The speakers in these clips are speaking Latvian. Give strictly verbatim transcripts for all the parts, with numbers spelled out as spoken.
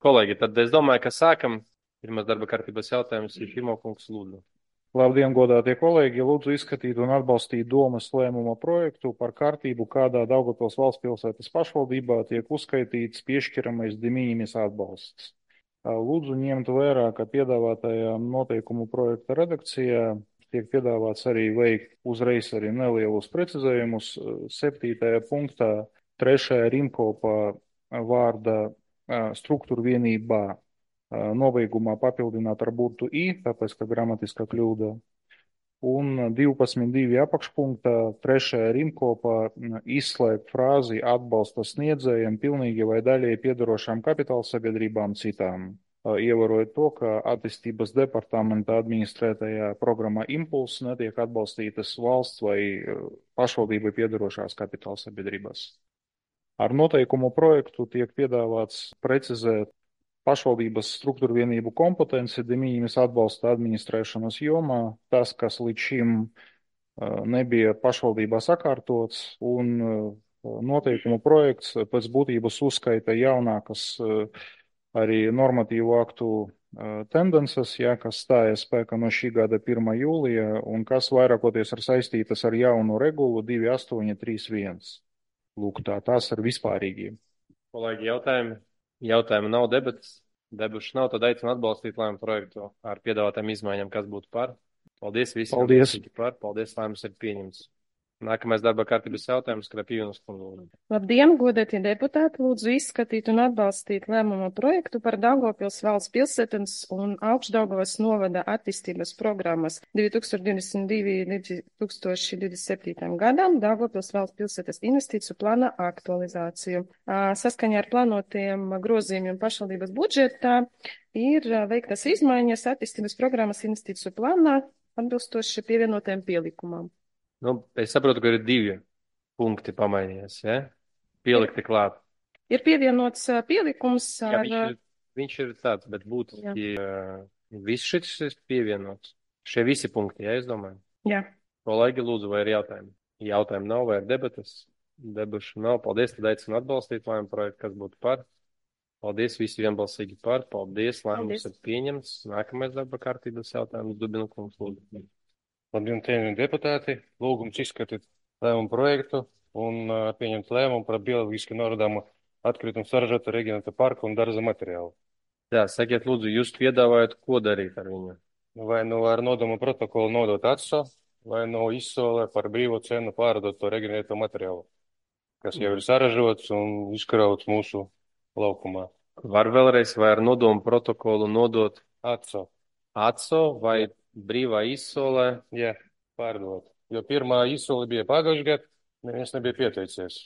Kolēģi, tad es domāju, ka sākam. Pirmais darba kārtības jautājums ir Firmo kungs lūdzu. Labdien, godātie kolēģi! Lūdzu izskatīt un atbalstīt domas lēmuma projektu par kārtību, kādā Daugavpils valstspilsētas pašvaldībā tiek uzskaitīts piešķiramais de minimis atbalsts. Lūdzu ņemt vērā, ka piedāvātajā noteikumu projekta redakcijā tiek piedāvāts arī veikt uzreiz arī nelielus precizējumus. Septītajā punktā trešajā rimkopā vārda struktūra vienībā nobeigumā papildināt ar burtu i, tāpēc, ka gramatiskā kļūda. Un divpadsmit divi apakšpunktā trešajā rimkopā izslēgt frāzi atbalsta sniedzējiem pilnīgi vai daļēji piedarošām kapitāla sabiedrībām citām. Ievērojot to, ka attīstības departamenta administrētajā programmā Impulss netiek atbalstītas valsts vai pašvaldībai piedarošās kapitāla sabiedrībās. Ar noteikumu projektu tiek piedāvāts precizēt pašvaldības struktūra vienību kompetenci de minimis atbalsta administrēšanas jomā, tas, kas līdz šim nebija pašvaldībā sakārtots, un noteikumu projekts pēc būtības uzskaita jaunākas arī normatīvu aktu tendences, ja, kas stāja spēkā no šī gada pirmā jūlija, un kas vairākoties ir saistītas ar jaunu regulu divi astoņi trīs viens. Lūk, tā, tās ir vispārīgie. Kolēģi, jautājumi? Jautājumu nav, debatas. Debušu nav, tad aicinu atbalstīt lēmumu projektu ar piedāvātām izmaiņām, kas būtu par. Paldies visiem. Paldies. Par. Paldies, lēmums ir pieņemts. Nākamais darba kārtības jautājums, Krapīvienas kundze. Labdien, godētie deputāti! Lūdzu izskatīt un atbalstīt lēmuma projektu par Daugavpils valsts pilsētas un Augšdaugavas novada attīstības programmas divi tūkstoši divdesmit divi līdz divi tūkstoši divdesmit septītajam gadam Daugavpils valsts pilsētas investīciju plāna aktualizāciju. Saskaņā ar plānotiem grozījumiem pašvaldības budžetā ir veiktas izmaiņas attīstības programmas investīciju plānā atbilstoši pievienotiem pielikumam. Nu, es saprotu, ka ir divi punkti pamainījies, ja? Pielikti klāt. Ir pievienots pielikums ar... Jā, viņš ir, viņš ir tāds, bet būtu, ja viss šis ir pievienots. Šie visi punkti, ja, es domāju? Jā. Kolēģi, lūdzu, vai ir jautājumi? Jautājumi nav, vai ir debatas? Debašu nav. Paldies, tad aicinu atbalstīt lēmumu projektu, kas būtu par. Paldies, visi vienbalsīgi par. Paldies, lēmums ir pieņemts. Nākamais darba kārtības jautājums, Dubina kungs, lūdzu. Labdien, cienījamie deputāti! Lūgums izskatīt lēmumu projektu un uh, pieņemt lēmumu par bioloģiski norodāmu atkritumu saražotu reģionāta parku un darza materiālu. Jā, sakiet, lūdzu, jūs piedāvājat, ko darīt ar viņu? Vai nu ar nodomu protokolu nodot atso, vai no izsolē par brīvo cenu pārdot to reģionēto materiālu, kas jau ir saražots un izkrauts mūsu laukumā. Var vēlreiz, vai ar nodomu protokolu nodot atso? Atso vai brīvā izsolē? Jā, pārdot. Jo pirmā izsole bija pagājušajā gadā, neviens nebija pieteicies.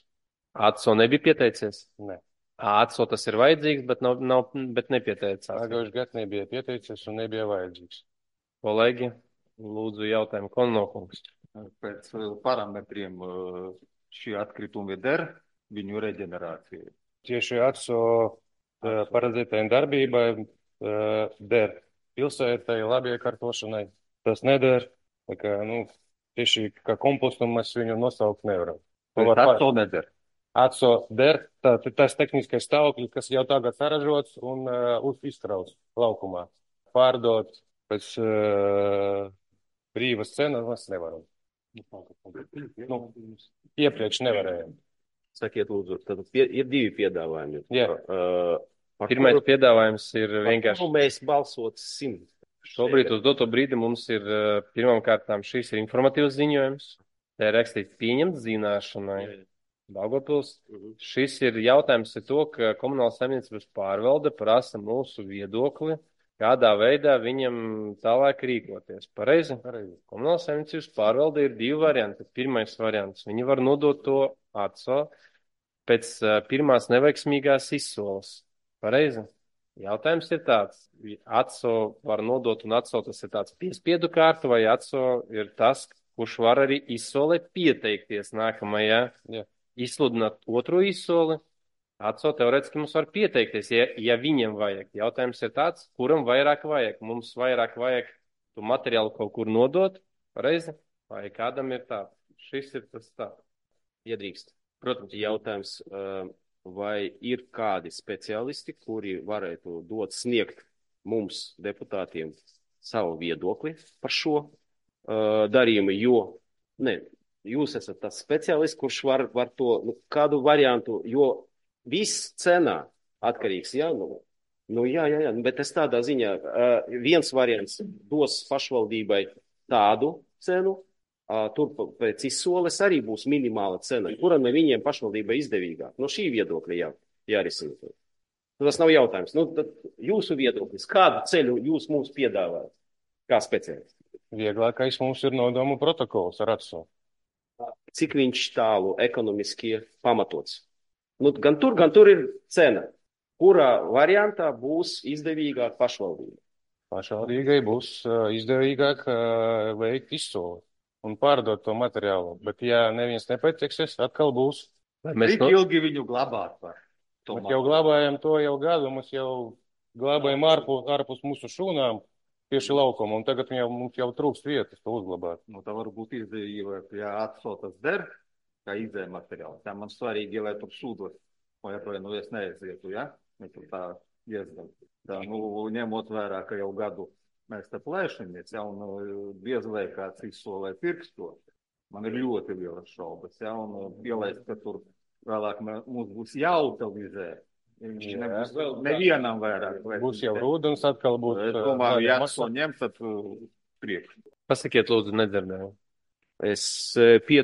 Atso nebija pieteicies? Ne. Atso tas ir vajadzīgs, bet, nav, nav, bet nepieteicās. Pagājušajā gadā nebija pieteicies un nebija vajadzīgs. Kolēģi, lūdzu jautājumu Konnokungs. Pēc parametriem šie atkritumi der viņu reģenerāciju. Tieši atso paredzētajai darbībai der. Pilsētai, labi iekārtošanai, tas neder, tā kā, nu, tieši kā kompostu mēs viņu nosaukt nevaram. Bet atso neder? Atso der, tā, tas tehniskais stāvoklis, kas jau tagad saražots un uh, izkrauts laukumā. Pārdot pēc uh, brīvas cenas mēs nevaram. Nu, iepriekš nevarējām. Sakiet, lūdzu, tad pie, ir divi piedāvājumi. Jā. Uh, Pirmais kuru, piedāvājums ir vienkārši... Par kuru mēs balsotsim? Šobrīd uz doto brīdi mums ir pirmām kārtām šīs ir informatīvs ziņojums. Tā ir rakstīts pieņemt zināšanai. Daugavpils. Uh-huh. Šis ir jautājums ir to, ka komunālas saimniecības pārvalde prasa mūsu viedokli, kādā veidā viņam tālāk rīkoties. Pareizi? Pareizi. Komunālas saimniecības pārvalde ir divi varianti. Pirmais variants. Viņi var nodot to atso pēc pirmās neveiksmīgās izsoles. Pareizi. Jautājums ir tāds, atso var nodot un atso tas ir tāds piespiedu kārtu, vai atso ir tas, kurš var arī izsolē pieteikties nākamajā, ja. Izsludināt otro izsoli, atso teorētiski mums var pieteikties, ja, ja viņam vajag. Jautājums ir tāds, kuram vairāk vajag. Mums vairāk vajag tu materiālu kaut kur nodot, pareizi, vai kādam ir tā. Šis ir tas tā. Iedrīkst. Protams, jautājums. Uh... vai ir kādi speciālisti, kuri varētu dot sniegt mums, deputātiem, savu viedokli par šo uh, darījumu, jo, ne, jūs esat tas speciālists, kurš var, var to, nu, kādu variantu, jo viss cenā atkarīgs, jā, nu, nu jā, jā, jā, bet es tādā ziņā, uh, viens variants dos pašvaldībai tādu cenu, uh, tur pēc izsoles arī būs minimāla cena, kura no viņiem pašvaldībai izdevīgāk. No šī viedokļa jā, jārisina. Nu, tas nav jautājums. Nu, tad jūsu viedoklis, kādu ceļu jūs mums piedāvājat, kā speciālisti? Vieglākais mums ir nodomu protokols ar atso. Cik viņš tālu ekonomiski pamatots? Nu, gan tur, gan tur ir cena. Kurā variantā būs izdevīgāk pašvaldība? Pašvaldībai būs uh, izdevīgāk uh, veikt izsoli un pārdot to materiālu. Bet, ja neviens nepateiksies, atkal būs. Cik no... ilgi viņu glabāt var? Mēs jau glabājam to jau gadu, mēs jau glabājam ārpus, ārpus mūsu šūnām tieši laukuma, un tagad jau, mums jau trūkst vietas to uzglabāt. Nu, tā var būt izdevība, ja atsotas der, kā izēja materiāls. Tā man svarīgi, lai tur sūdot, vai vai nu es neaizietu, ja? Mēs tur tā iezdam. Tā, nu, ņemot vērā, ka jau gadu mēs te plēšamies, ja, un diez vai kāds izsolē pirkstot. Man ir ļoti lielas šaubas, ja, un pielaist, ka tur vēlāk mums būs jāutilizē. Viņš jā, nebūs vēl nevienam vairāk. Būs jau rūdens, atkal būs. Es domāju, ja to ņemt, tad priekš. Pasakiet, lūdzu, nedzirdēju. Es pie,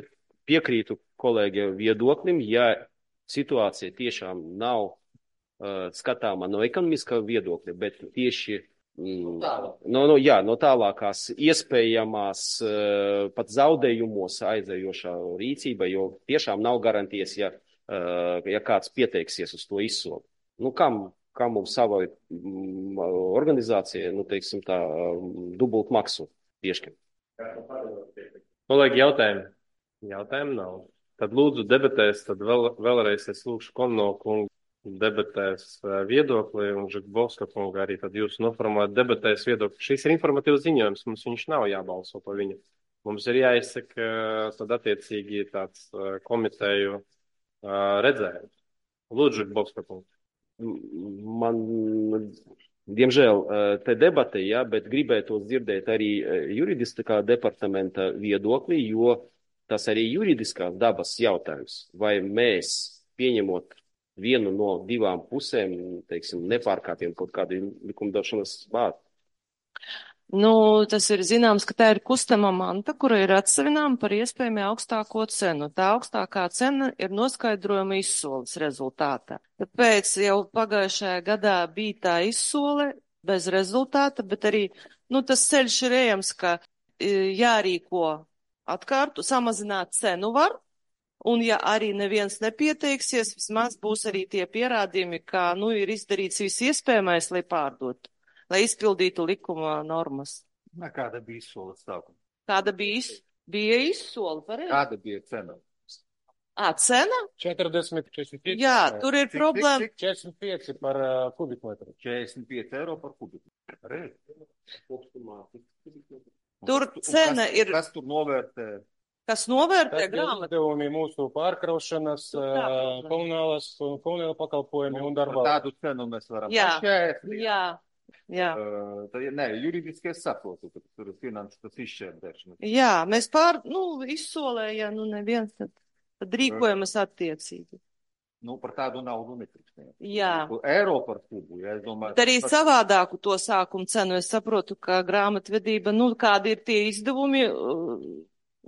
piekrītu kolēģi viedoklim, ja situācija tiešām nav uh, skatāma no ekonomiskā viedokļa, bet tieši mm, no, no, jā, no tālākās iespējamās uh, pat zaudējumos aizējošā rīcība, jo tiešām nav garantijas, ja ja kāds pieteiksies uz to izsoli. Nu, kam, kam mums sava mm, organizācija, nu, teiksim tā, dubult maksu piešķir? Kolēģi, jautājumi? Jautājumu nav. Tad lūdzu debatēs, tad vēl, vēlreiz es lūkšu Konno kungu debatēs viedokli un Žakbovska kungu arī tad jūs noformulēt debatēs viedokli. Šis ir informatīvs ziņojums, mums viņš nav jābalso pa viņu. Mums ir jāizsaka tad attiecīgi tāds komiteju redzējums. Lūdzu, Žakbovska kungs. Man, diemžēl, te debate, ja, bet gribētos dzirdēt arī juridiskā departamenta viedokli, jo tas arī juridiskās dabas jautājums. Vai mēs, pieņemot vienu no divām pusēm, teiksim, nepārkāpjam kaut kādu likumdošanas bāzi? Nu, tas ir zināms, ka tā ir kustama manta, kura ir atsavināma par iespējami augstāko cenu. Tā augstākā cena ir noskaidrojuma izsoles rezultātā. Tāpēc jau pagājušajā gadā bija tā izsole bez rezultāta, bet arī, nu, tas ceļš ir ejams, ka jārīko atkārtu, samazināt cenu var, un ja arī neviens nepieteiksies, vismaz būs arī tie pierādījumi, ka, nu, ir izdarīts viss iespējamais, lai pārdotu. Lai izpildītu likuma normas. Nā, kāda bija izsoles sākuma? Kāda bija, iz... bija izsole, pareizi? Kāda bija cena? Ā, cena? četrdesmit, četrdesmit pieci. Jā, tur ir problēma. četrdesmit pieci par uh, kubikmetru. četrdesmit pieci eiro par kubikmetru. Reiz. Tur cena kas, ir... Kas tur novērtē? Kas novērtē grāmatu? grāmatu? Izdevumi mūsu pārkraušanas, uh, komunālas, komunāla pakalpojumi un darbā. Tādu cenu mēs varam Jā, pašķēst. jā. Jā. Uh, tā, nē, juridiski es saprotu, ka tur ir finanšu tas izšķērdēšanas. Jā, mēs pār, nu, izsolē, ja nu neviens, tad, tad rīkojamies attiecīgi. Nu, par tādu naudu netrikstē. Jā. Eiro par kubu, ja es domāju. Bet arī par... savādāku to sākumu cenu. Es saprotu, ka grāmatvedība, nu, kādi ir tie izdevumi, uh,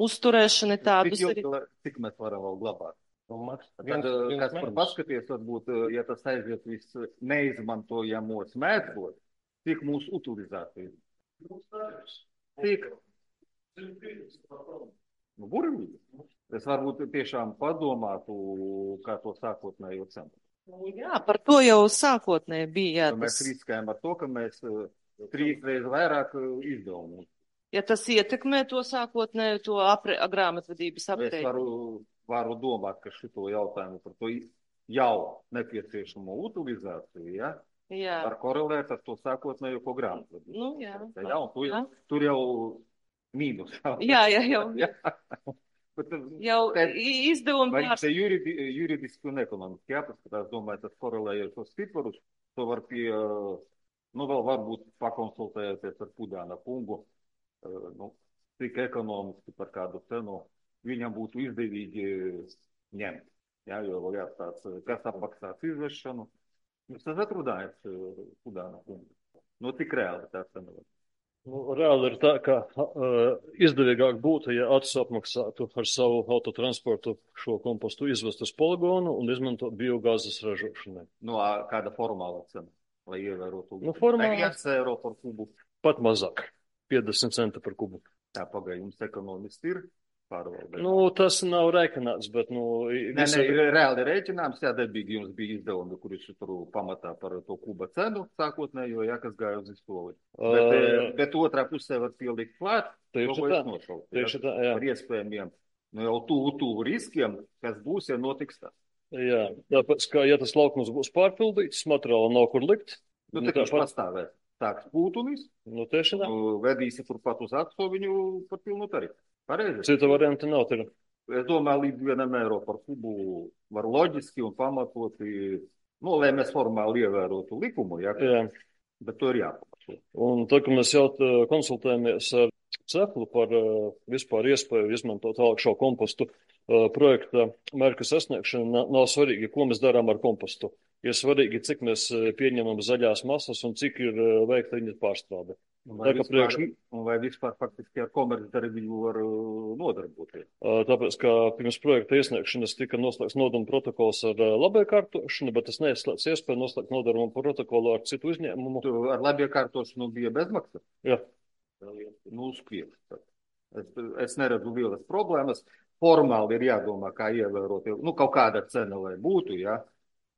uzturēšana tādus cik, arī. ilgi, cik mēs varam vēl glabāt? Tad, viens, viens kas par paskaties, varbūt, ja tas aiziet viss neizmantojamos mēdot, cik mūsu utilizācija? Cik? Nu, burvīgi. Es varbūt tiešām padomātu, kā to sākotnējo cenu. Jā, par to jau sākotnēji bija. Jā, mēs tas... riskējam ar to, ka mēs trīs reizes vairāk izdevumu. Ja tas ietekmē to sākotnēju, to apre, grāmatvedības aprēķinu. Es varu, varu domāt, ka šito jautājumu par to jau nepieciešamo utilizāciju, ja? Jā. Var korelēt ar to sākotnējo ko grāmatvedību. Nu, jā. Ja, tur, tur jau mīnus. Jā, jā, jau. Jā. Bet, Jau te- i- izdevumi vai pārs... te juridi, juridiski un ekonomiski jāpaskatās, domāju, tas korelēja tos ciparus, to var pie, nu, vēl varbūt pakonsultējoties ar Pudāna kungu, eh, nu, cik ekonomiski par kādu cenu viņam būtu izdevīgi ņemt. Jā, jo vēl jāstāds, kas apmaksās izvešanu. Jūs esat runājis Pudāna kungu. Nu, cik reāli tā cena var? Nu, reāli ir tā, ka uh, izdevīgāk būtu, ja Atis apmaksātu ar savu autotransportu šo kompostu izvest uz poligonu un izmantot biogāzes ražošanai. Nu, ā, kāda formāla cena, lai ievērotu? Nu, formāla- viens eiro par kubu. Pat mazāk, piecdesmit centi par kubu. Tā pagaid, jums ekonomisti ir pārvaldē. Nu, tas nav rēķināts, bet, nu, Nē, nē, ir reāli rēķināms, jā, debīgi jums bija izdevumi, kurus tur pamatā par to kuba cenu sākotnējo, jā, kas gāja uz izsoli. Bet, Uh, bet otrā pusē var pielikt klāt, Tieši to, ko tā, es nosaucu, tieši jā, tā, jā. par iespējamiem, nu jau tuvu, tuvu riskiem, kas būs, ja notiks tā. Jā, tāpēc, ka, ja tas laukums būs pārpildīts, materiāla nav kur likt, Nu, nu, tā viņš tāpat, pastāvēs. Tāks pūtunis, nu, tieši tā. nu, vedīsi turpat uz atso viņu par pilnu tarifu. Pareizi? Cita varianta nav, tur. Es domāju, līdz vienam eiro par kubu var loģiski un pamatoti, nu, lai mēs formāli ievērotu likumu, jā, Jā. bet to ir jāpamato. Un tā, ka mēs jau tā konsultējamies ar Ceplu par uh, vispār iespēju izmantot tālāk šo kompostu uh, projekta mērķu sasniegšanu, nav, nav svarīgi, ko mēs darām ar kompostu. Ir svarīgi, cik mēs uh, pieņemam zaļās masas un cik ir uh, veikta viņa pārstrāde. Un Tā vai kā vispār, priekš, un vai vispār faktiski ar komercdarbību var uh, nodarboties? uh, tāpēc, ka pirms projekta iesniegšanas tika noslēgts nodaruma protokols ar uh, labiekārtošanu, bet tas neizslēdz iespēju noslēgt nodaruma protokolu ar citu uzņēmumu. Tu ar labiekārtošanu bija bezmaksa? Jā. Nu, skriet. Es, es neredzu lielas problēmas. Formāli ir jādomā, kā ievērot, nu, kaut kāda cena, lai būtu, jā,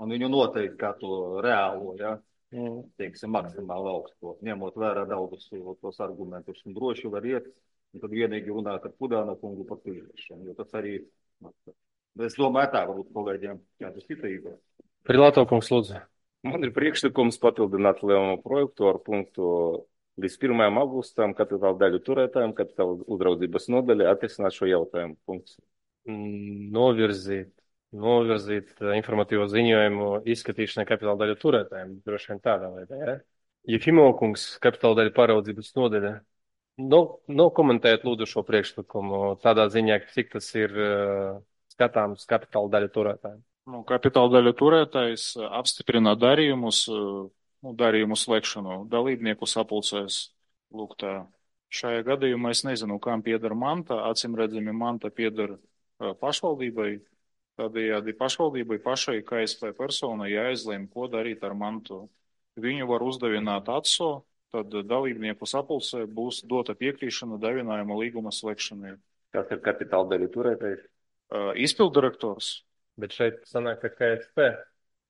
un viņu noteikti kā to reālo, jā, Mm. teiksim, maksimāli augsto, ņemot vērā daudzus tos argumentus, un droši var iet, un tad vienīgi runāt ar Pudāna kungu par tīrēšanu, jo tas arī, es domāju, tā varbūt kolēģiem kādu citu īpaši. Prilāto kungs, lūdzu. Man ir priekšlikums papildināt lēmumu projektu ar punktu līdz pirmajam augustam kapitāla daļu turētājiem, kapitāla uzraudzības nodaļa atrisināt šo jautājumu. Punkts. Mm, Novirzīt, novirzīt eh, informatīvo ziņojumu izskatīšanai kapitāla daļu turētājiem. Droši vien tādā veidā, ja? Jefimo kungs, kapitāla daļu pāraudzības nodaļa. No, no komentēt lūdzu šo priekšlikumu tādā ziņā, cik tas ir uh, skatāms kapitāla daļu turētājiem. Nu, kapitāla daļu turētājs uh, apstiprina darījumus, uh, nu, darījumu slēgšanu dalībnieku sapulcēs. Lūk, tā. Šajā gadījumā es nezinu, kam pieder manta. Acīm redzami, manta pieder uh, pašvaldībai. Tādējādi pašvaldībai pašai K S P personai jāizlēma, ko darīt ar mantu. Viņu var uzdevināt atso, tad dalībnieku sapulcē būs dota piekrišana davinājuma līguma slēgšanai. Kas ir kapitāla daļu turētājs? Uh, Izpildirektors. Bet šeit sanāk, ka K S P uh,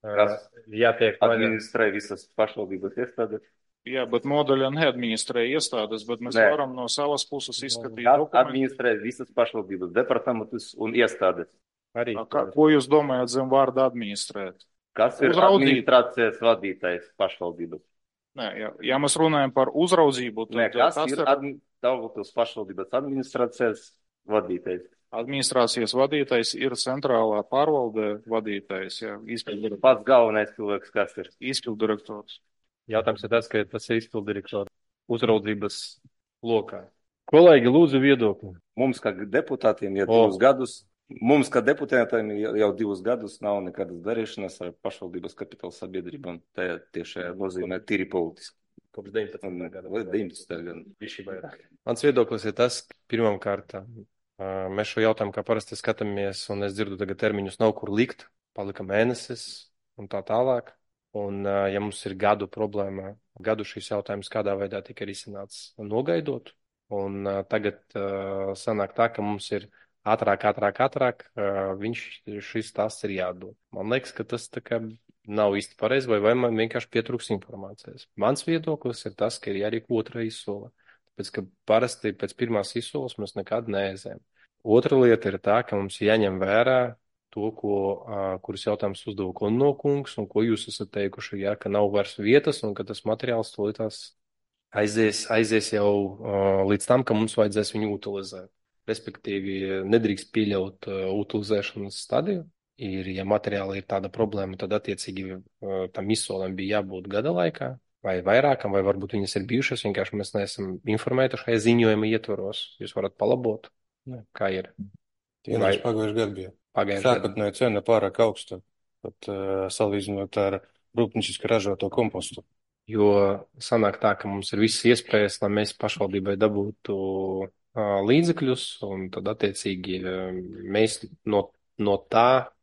Kas jātiek vaļā. administrē visas pašvaldības iestādes? Jā, bet nodaļa neadministrē iestādes, bet mēs Nē. varam no savas puses izskatīt Kas dokumentu. administrē visas pašvaldības departamentus un iestādes? Arī. Kā, ko jūs domājat zem vārda administrēt? Kas ir Uzraudzīt. administrācijas vadītājs pašvaldības? Nē, ja, ja mēs runājam par uzraudzību, tad Nē, kas tas ir ir admi- Daugavpils pašvaldības administrācijas vadītājs? administrācijas vadītājs, ir centrālā pārvalde vadītājs, jā, izpildirektors. Pats galvenais cilvēks, kas ir? Izpildirektors. Jautājums ir tas, ka tas ir izpildirektora uzraudzības lokā. Kolēģi, lūdzu viedokli. Mums, kā deputātiem, jau O. divus gadus, mums, kā deputātiem, jau jau divus gadus nav nekādas darīšanas ar pašvaldības kapitāla sabiedrībām. Tā tiešā nozīmē tīri politiski. Kopš deviņpadsmitā gada. Vai deviņpadsmitā gada. Bišķi vairāk. Mans viedoklis ir tas, ka pirmām kārtām ā, mēs šo jautājumu kā parasti skatāmies, un es dzirdu tagad termiņus nav kur likt, palika mēnesis un tā tālāk. Un, ā, ja mums ir gadu problēma, gadu šis jautājums kādā veidā tika risināts nogaidot, un ā, tagad ā, sanāk tā, ka mums ir ātrāk, ātrāk, ātrāk, ā, viņš šis tas ir jādod. Man liekas, ka tas tā kā nav īsti pareizi, vai, vai man vienkārši pietrūks informācijas. Mans viedoklis ir tas, ka ir jārīko otra izsola. Tāpēc, ka parasti pēc pirmās izsoles mēs nekad neaizējam. Otra lieta ir tā, ka mums jāņem vērā to, ko, uh, kurus jautājums uzdeva Konno kungs, un ko jūs esat teikuši, ja, ka nav vairs vietas, un ka tas materiāls tolītās aizies, aizies jau uh, līdz tam, ka mums vajadzēs viņu utilizēt. respektīvi nedrīkst pieļaut uh, utilizēšanas stadiju. Ir, ja materiāli ir tāda problēma, tad attiecīgi uh, tam izsolēm bija jābūt gada laikā vai vairākam, vai varbūt viņas ir bijušas, vienkārši mēs neesam informēti šajā ziņojuma ietvaros. Jūs varat palabot, ne, kā ir. Tieši pagājuši gadu bija. Pagājuši gadu. Sākotnēji cena pārāk augsta, pat uh, salīdzinot ar rūpnieciski ražoto kompostu. Jo sanāk tā, ka mums ir visas iespējas, lai mēs pašvaldībai dabūtu uh, līdzekļus, un tad attiecīgi uh, mēs no, no tā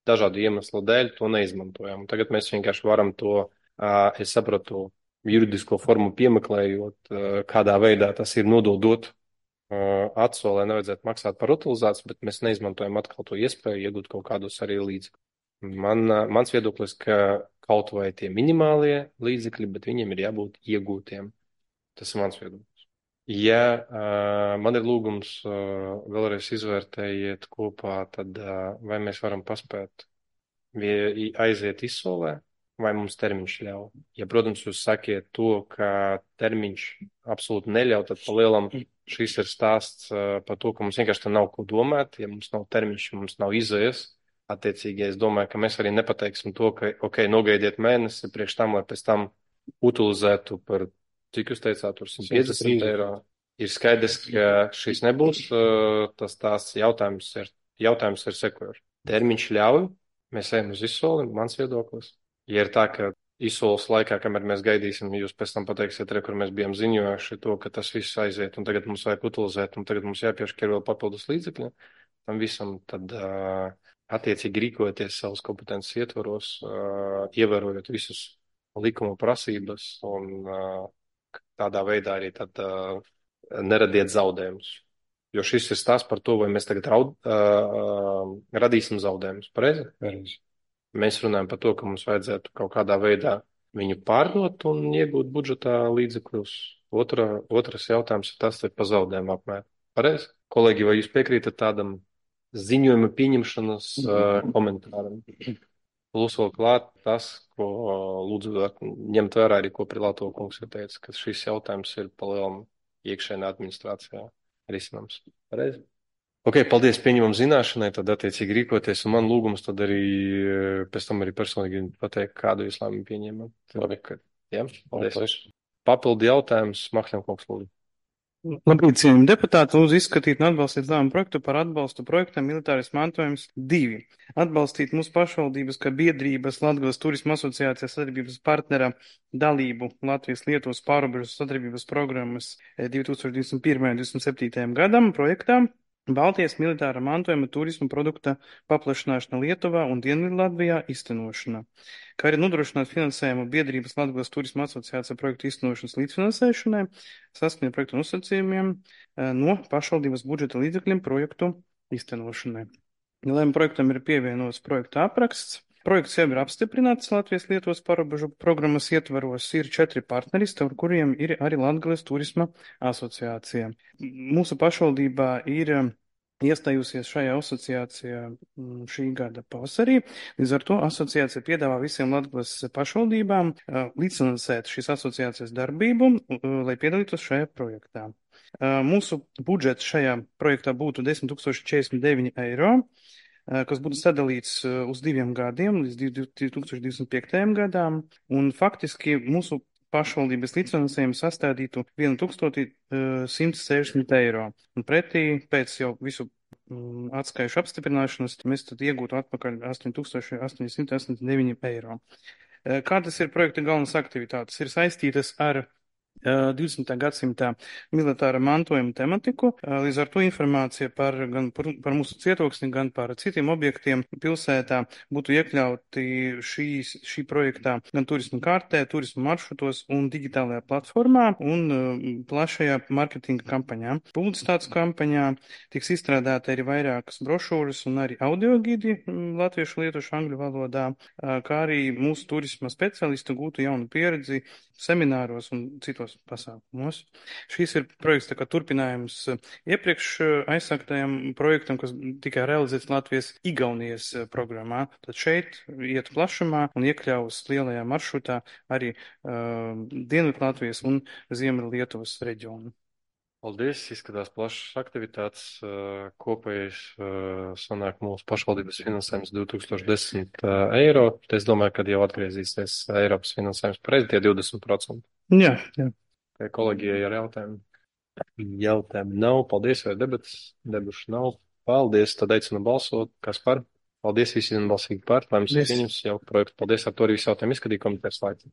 dažādu iemeslu dēļ to neizmantojam. Un tagad mēs vienkārši varam to, uh, es sapratu, juridisko formu piemeklējot, uh, kādā veidā tas ir nododot uh, atsolē, nevajadzētu maksāt par utilizāciju, bet mēs neizmantojam atkal to iespēju iegūt kaut kādus arī līdzekļus. Man, uh, mans viedoklis, ka kaut vai tie minimālie līdzekļi, bet viņiem ir jābūt iegūtiem. Tas ir mans viedoklis. Ja uh, man ir lūgums uh, vēlreiz izvērtējiet kopā, tad uh, vai mēs varam paspēt vie, aiziet izsolē, vai mums termiņš ļauj. Ja, protams, jūs sakiet to, ka termiņš absolūti neļauj, tad pa lielam šis ir stāsts uh, par to, ka mums vienkārši tā nav ko domāt. Ja mums nav termiņš, mums nav izējas, attiecīgi es domāju, ka mēs arī nepateiksim to, ka, ok, nogaidiet mēnesi priekš tam, lai pēc tam utilizētu par, cik jūs teicāt, tur simt piecdesmit eiro. Ir skaidrs, ka šis nebūs, tas tās jautājums ir, jautājums ir sekojoši. Termiņš ļauj, mēs ejam uz izsoli, mans viedoklis. Ja ir tā, ka izsoles laikā, kamēr mēs gaidīsim, jūs pēc tam pateiksiet, re, kur mēs bijām ziņojuši to, ka tas viss aiziet, un tagad mums vajag utilizēt, un tagad mums jāpiešķir vēl papildus līdzekļi, tam visam, tad uh, attiecīgi rīkoties savus kompetences ietvaros, uh, ievērojot visus likuma prasības, un uh, tādā veidā arī tad uh, neradiet zaudējumus. Jo šis ir stāsts par to, vai mēs tagad raud, uh, radīsim zaudējumus. Pareizi? Pareizi. Mēs runājam par to, ka mums vajadzētu kaut kādā veidā viņu pārdot un iegūt budžetā līdzekļus. Otra, otrs jautājums ir tas, ir par zaudējumu apmēru. Pareizi? Kolēģi, vai jūs piekrītat tādam ziņojuma pieņemšanas uh, komentāram? Plus vēl klāt tas, ko lūdzu ņemt vērā arī, ko Prilāto kungs ir teicis, ka šis jautājums ir palielam iekšēnā administrācijā risinams. Pareizi? Ok, paldies, pieņemam zināšanai, tad attiecīgi rīkoties, un man lūgums tad arī pēc tam arī personīgi pateikt, kādu jūs lēmumu pieņēmam. Labi, ka, jā, paldies. paldies. Papildi jautājums, Mahļam kungs, lūdzu. Labrīt, cienījami deputāti, lūdzu izskatīt un atbalstīt lēmumu projektu par atbalstu projektam Militārais mantojums divi. Atbalstīt mūsu pašvaldības, kā biedrības Latgales turisma asociācijas sadarbības partnera dalību Latvijas Lietuvas pārobežu sadarbības programmas divi tūkstoši divdesmit pirmajam un divdesmit septītajam gadam projektām Baltijas militāra mantojuma turisma produkta paplašināšana Lietuvā un Dienvidu Latvijā iztenošana, kā arī nodrošināt finansējumu biedrības Latgales turisma asociācija projektu iztenošanas līdzfinansēšanai saskaņā projektu nosacījumiem no pašvaldības budžeta līdzekļiem projektu iztenošanai. Lēmuma projektam ir pievienots projekta apraksts. Projekts jau ir apstiprināts Latvijas Lietuvas pārobežu programmas ietvaros. Ir četri partneri, ar kuriem ir arī Latgales turisma asociācija. Mūsu pašvaldībā ir iestājusies šajā asociācijā šī gada pavasarī. Līdz ar to asociācija piedāvā visiem Latgales pašvaldībām līdzfinansēt šīs asociācijas darbību, lai piedalītos šajā projektā. Mūsu budžets šajā projektā būtu desmit tūkstoši četrdesmit deviņi eiro. Kas būtu sadalīts uz diviem gadiem, līdz divi tūkstoši divdesmit piektajam gadām, un faktiski mūsu pašvaldības līdzfinansējums sastādītu tūkstoš simt sešdesmit eiro. Un pretī pēc jau visu atskaišu apstiprināšanas mēs tad iegūtu atpakaļ astoņi tūkstoši astoņsimt astoņdesmit deviņi eiro. Kādas ir projekta galvenas aktivitātes? Ir saistītas ar divdesmitā gadsimtā militāra mantojuma tematiku. Līdz ar to informācija par, gan par, par mūsu cietoksni, gan par citiem objektiem pilsētā būtu iekļauti šīs, šī projektā gan turismu kārtē, turismu maršrutos un digitālajā platformā un plašajā marketinga kampaņā. Publicitātes kampaņā tiks izstrādāta arī vairākas brošūras un arī audiogidi latviešu, lietuviešu, angļu valodā, kā arī mūsu turisma speciālisti gūtu jaunu pieredzi semināros un citos pasākumos. Šīs ir projekts tā kā turpinājums iepriekš aizsāktajam projektam, kas tikai realizēts Latvijas Igaunijas programmā. Tad šeit iet plašumā un iekļaus lielajā maršrutā arī uh, Dienvidu Latvijas un Ziemeļu Lietuvas reģionu. Paldies, izskatās plašas aktivitātes. Uh, Kopējais uh, sanāk mūsu pašvaldības finansējums divi tūkstoši desmit uh, eiro. Es domāju, ka jau atgriezīsies Eiropas finansējums pareizi tie divdesmit procenti. Jā, jā. Vai kolēģijai ar jautājumu? Jautājumu nav. Paldies, vai debatas? Debušu nav. Paldies, tad aicinu balsot. Kas par? Paldies, visi vienbalsīgi par. Lai mums ir Paldies. pieņems jau projektu. Paldies, ar to arī visu jautājumu izskatīju komitejas laiku.